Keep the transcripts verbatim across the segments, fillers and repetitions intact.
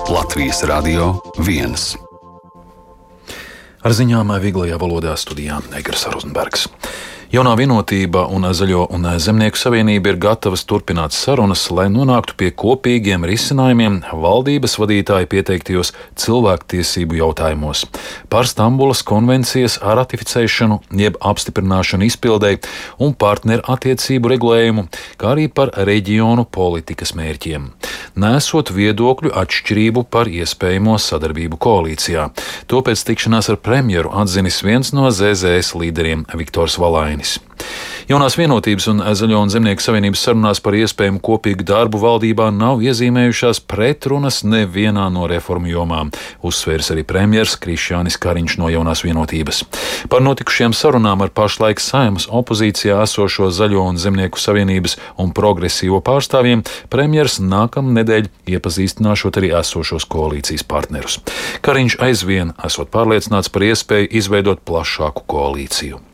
Latvijas Radio viens. Ar ziņām vieglajā valodā studijā Egars Rozenbergs. Jaunā vienotība un Zaļo un Zemnieku savienība ir gatavas turpināt sarunas, lai nonāktu pie kopīgiem risinājumiem valdības vadītāju pieteiktajos cilvēktiesību jautājumos par Stambulas konvencijas ratificēšanu, jeb apstiprināšanu izpildei un partneru attiecību regulējumu, kā arī par reģionu politikas mērķiem, nesot viedokļu atšķirību par iespējamo sadarbību koalīcijā. To pēc tikšanās ar premjeru atzinis viens no Z Z S līderiem Viktors Valainis. Jaunās vienotības un Zaļo un Zemnieku savienības sarunās par iespējamu kopīgu darbu valdībā nav iezīmējušās pretrunas nevienā no reformu jomām, uzsvērs arī premjers Krišjānis Kariņš no Jaunās vienotības. Par notikušajām sarunām ar pašlaik Saeimas opozīcijā esošo Zaļo un Zemnieku savienības un progresīvo pārstāvjiem premjers nākamnedēļ iepazīstināšot arī esošos koalīcijas partnerus. Kariņš aizvien esot pārliecināts par iespēju izveidot plašāku koalīciju.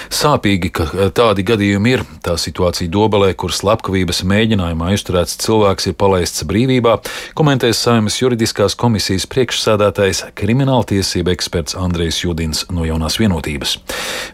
Sāpīgi, ka tādi gadījumi ir. Tā situācija Dobelē, kur slepkavības mēģinājumā aizturēts cilvēks ir palaists brīvībā, komentēs Saeimas juridiskās komisijas priekšsēdētājs krimināltiesība eksperts Andrejs Judins no Jaunās vienotības.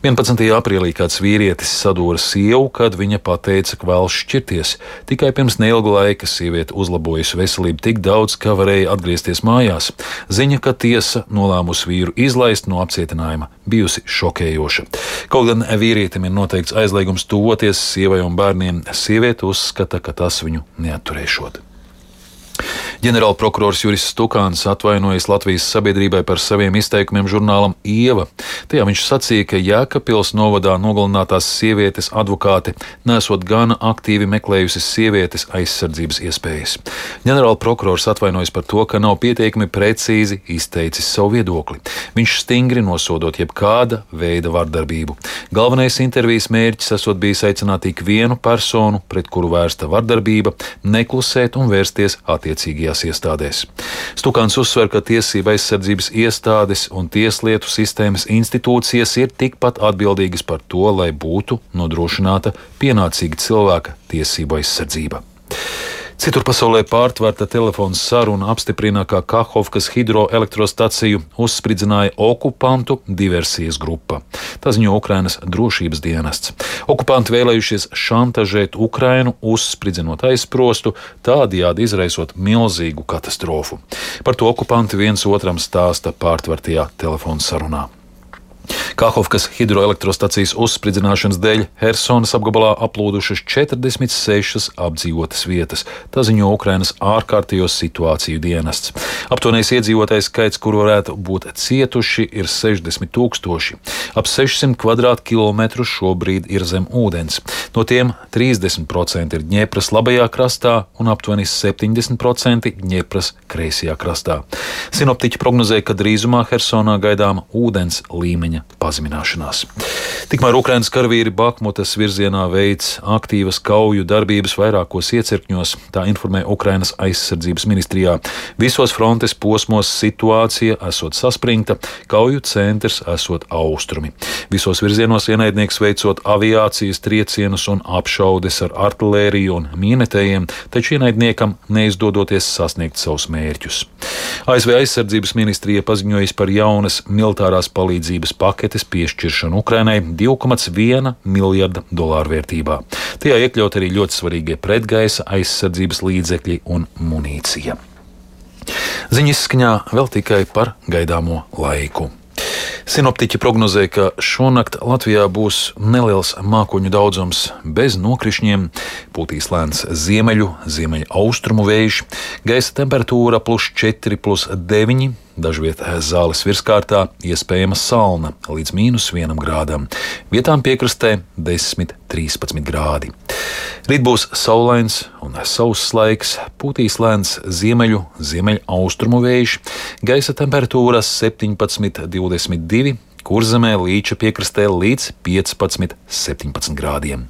vienpadsmitajā aprīlī kāds vīrietis sadūra sievu, kad viņa pateica, ka vēlas šķirties. Tikai pirms neilga laika sieviete uzlabojusi veselību tik daudz, ka varēja atgriezties mājās. Ziņa, ka tiesa nolēmusi vīru izlaist no apcietinājuma, bijusi šokējoša. Kaut gan vīrietim ir noteikts aizliegums tuvoties sievai un bērniem, sieviete uzskata, ka tas viņu neatturēšot. Ģenerālprokurors Juris Stukāns atvainojas Latvijas sabiedrībai par saviem izteikumiem žurnālam Ieva. Tajā viņš sacīja, ka Jēkabpils novadā nogalinātās sievietes advokāte nesot gana aktīvi meklējusi sievietes aizsardzības iespējas. Ģenerālprokurors atvainojas par to, ka nav pietiekami precīzi izteicis savu viedokli. Viņš stingri nosodot jebkāda veida vardarbību. Galvenais intervijas mērķis esot bijis aicināt ik vienu personu, pret kuru vērsta vardarbība, neklusēt un vērsties attiecīgajās iestādēs. Stukāns uzsver, ka tiesība aizsardzības iestādes un tieslietu sistēmas institūcijas ir tikpat atbildīgas par to, lai būtu nodrošināta pienācīga cilvēka tiesību aizsardzība. Citur pasaulē pārtvērta telefona saruna apstiprina, ka Kahovkas hidroelektrostaciju uzspridzināja okupantu diversijas grupa. Tā ziņo Ukrainas drošības dienests. Okupanti vēlējušies šantažēt Ukrainu, uzspridzinot aizsprostu, tādējādi izraisot milzīgu katastrofu. Par to okupanti viens otram stāsta pārtvērtajā telefona sarunā. Kahovkas hidroelektrostacijas uzspridzināšanas dēļ Hersonas apgabalā aplūdušas četrdesmit sešas apdzīvotas vietas. Tā ziņo Ukrainas ārkārtējo situāciju dienests. Aptuvenais iedzīvotājs skaits, kur varētu būt cietuši, ir sešdesmit tūkstoši. Ap sešsimt kvadrātkilometru šobrīd ir zem ūdens. No tiem trīsdesmit procenti ir Dņepras labajā krastā un aptuveni septiņdesmit procenti Dņepras kreisajā krastā. Sinoptiķi prognozē, ka drīzumā Hersonā gaidāma ūdens līmeņa pazemināšanās. Tikmēr Ukrainas karavīri Bahmutas virzienā veic aktīvas kauju darbības vairākos iecirkņos, tā informē Ukrainas aizsardzības ministrijā. Visos frontes posmos situācija esot saspringta, kauju centrs esot austrumi. Visos virzienos ienaidnieks veicot aviācijas triecienus un apšaudes ar artilēriju un mīnetējiem, taču ienaidniekam neizdodoties sasniegt savus mērķus. A S V aizsardzības ministrija paziņojas par jaunas militārās palīdzības paketes piešķiršanu Ukrainai divi komats viena miljarda dolāru vērtībā. Tajā iekļaut arī ļoti svarīgie pretgaisa aizsardzības līdzekļi un munīcija. Ziņas izskaņā vēl tikai par gaidāmo laiku. Sinoptiķi prognozē, ka šonakt Latvijā būs neliels mākoņu daudzums bez nokrišņiem, pūtīs lēns ziemeļu, ziemeļa austrumu vējš, gaisa temperatūra plus četri, plus deviņi, dažviet zāles virskārtā iespējama salna līdz mīnus vienam grādam, vietām piekrastē desmit, trīspadsmit grādi. Rīt būs saulains un sauss laiks, pūtīs lēns ziemeļu, ziemeļa austrumu vējš, gaisa temperatūra septiņpadsmit, divdesmit divi, Kurzemē Līča piekrastē līdz piecpadsmit, septiņpadsmit grādiem.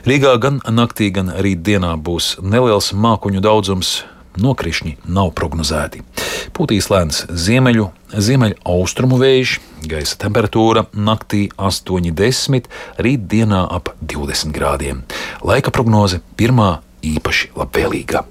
Rīgā gan naktī, gan rīt dienā būs neliels mākoņu daudzums, nokrišņi nav prognozēti. Pūtīs lēns ziemeļu, ziemeļa austrumu vējš, gaisa temperatūra naktī astoņi, desmit, rīt dienā ap divdesmit grādiem. Laika prognoze pirmā īpaši labvēlīga.